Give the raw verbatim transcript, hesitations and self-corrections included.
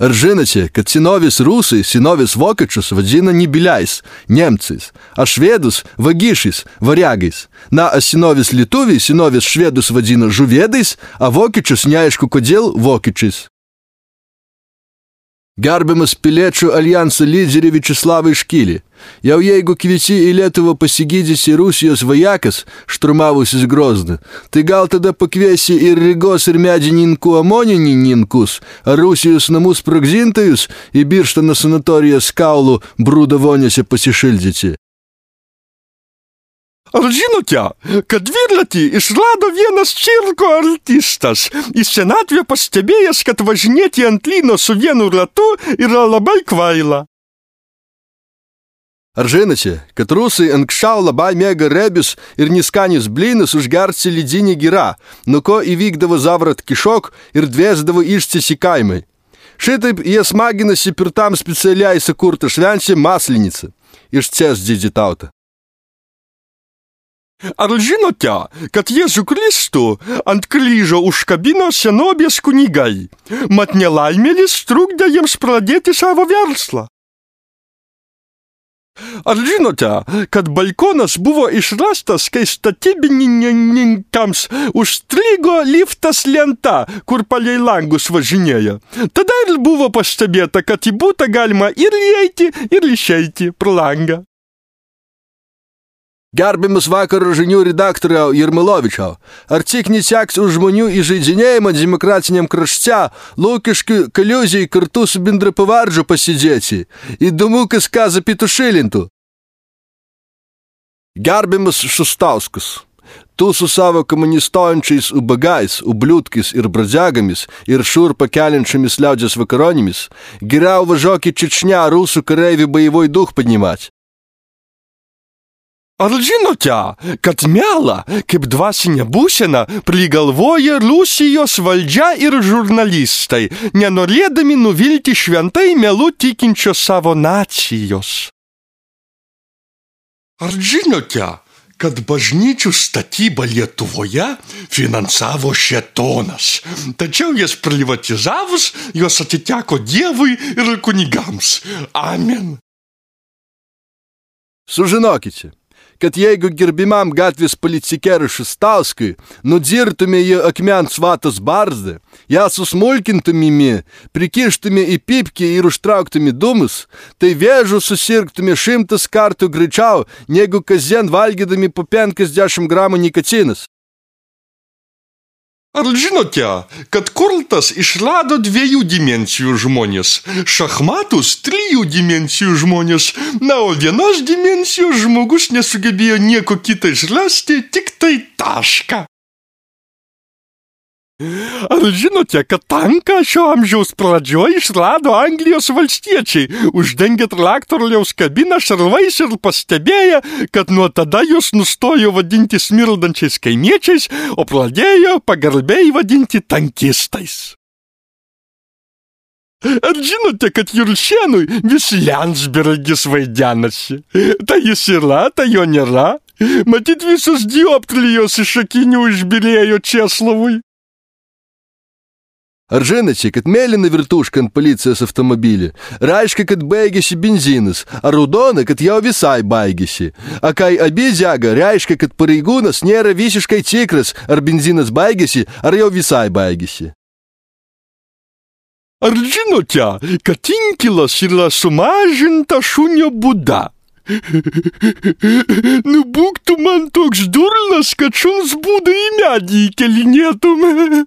Ar žinote, kad senovės rusai, senovės vokiečius vadina ne biliais, nemcais, a švedus vagišais, variagais. Na, a senovės lietuviai senovės švedus vadina žuvėdais, a vokiečius neaišku kodėl vokiečiais. Gerbiamas Piliečių alijanso lyderį Viačeslavą Iškilį, jau jeigu kvieti į Lietuvą pasigydysi Rusijos vajakas, šturmavusis Grozną, tai gal tada pakviesi ir Rygos ir medininkų amoninininkus, ar Rusijos namų sprogdintojus į Birštono sanatorijas kaulų brūdo vonėse pasišildyti. Ar žinote, kad dviratį išrado vienas cirko artistas, į senatvę pastebėjęs, kad važinėti ant lyno su vienu ratu yra labai kvaila? Ar žinote, kad rusai anksčiau labai mėga rebius ir niskanius blynus užgerti ledinį girą, nuo ko įvykdavo zavrat kišok ir dvėsdavo ištis į kaimai. Šitaip jie smaginasi per tam specialiai sukurtą šventę Maslenicą, išties didį tautą. Ar žinote, kad Jėzų Kristų ant kryžo užkabino senovės kunigai, mat nelaimėlis trukdė jiems pradėti savo verslą? Ar žinote, kad balkonas buvo išrastas, kai statybininkams užstrigo liftas lenta, kur palei langus važinėja? Tada ir buvo pastebėta, kad į butą galima ir įeiti, ir išeiti pro langą. Gerbiamas vakaro žinių redaktoriau Jermalovičiau, ar tik neseks už žmonių įžeidinėjimą demokratiniam krašte, Lukiškių kaliuzijai kartu su bendrapavardžiu pasidėti? Įdomu, kas ką zapitušilintų. Gerbiamas Šustauskas, tu su savo komunistojančiais ubagais, ubliutkais ir bradzegomis ir šurpą keliančiamis liaudės vakaronimis, geriau važiuok į Čečnę rusų kareivių boevoj duch поднимать. Ar žinote, kad melą, kaip dvasinė būsena, prigalvoja Rusijos valdžia ir žurnalistai, nenorėdami nuvilti šventai melu tikinčios savo nacijos? Ar žinote, kad bažnyčių statybą Lietuvoje finansavo šėtonas, tačiau jas privatizavus, jos atiteko Dievui ir kunigams. Amen. Sužinokite, kad jeigu gerbimam gatvės policikerui Šustauskui nudzirtume jį akmens vatos barzdą, ją susmulkintumėme, prikištume į pipkį ir užtrauktume dūmus, tai vėžų susirgtume šimtas kartų greičiau, negu kasdien valgydami po penkiasdešimt gramų nikotinas. Ar žinote, kad Kurtas išrado dviejų dimensijų žmonės, šachmatus trijų dimensijų žmonės, na, o vienos dimensijos žmogus nesugebėjo nieko kitą išrasti, tik tai tašką. Ar žinote, kad tanką šio amžiaus pradžioje išrado Anglijos valstiečiai, uždengė traktoriaus kabiną šarvais ir pastebėję, kad nuo tada jūs nustojo vadinti smirdančiais kaimiečiais, o pradėjo pagarbiai vadinti tankistais. Ar žinote, kad Juršėnui vis Lensbergis vaidenasi? Tai jis yra, tai jo nėra. Matyt, visos dioptrijos iš akinių išbyrėjo Česlovui. Ar žinote, kad mėlyna virtuška ant policijos automobilį reiškia, kad baigėsi benzinas, ar raudona, kad jau visai baigėsi. A kai abi dega, reiškia, kad pareigūnas nėra visiškai tikras, ar benzinas baigėsi, ar jau visai baigėsi. Ar žinote, kad inkilas yra sumažinta šunio būda? Nu, būk tu man toks durnas, kad šuns būdą į medį įkelinėtum.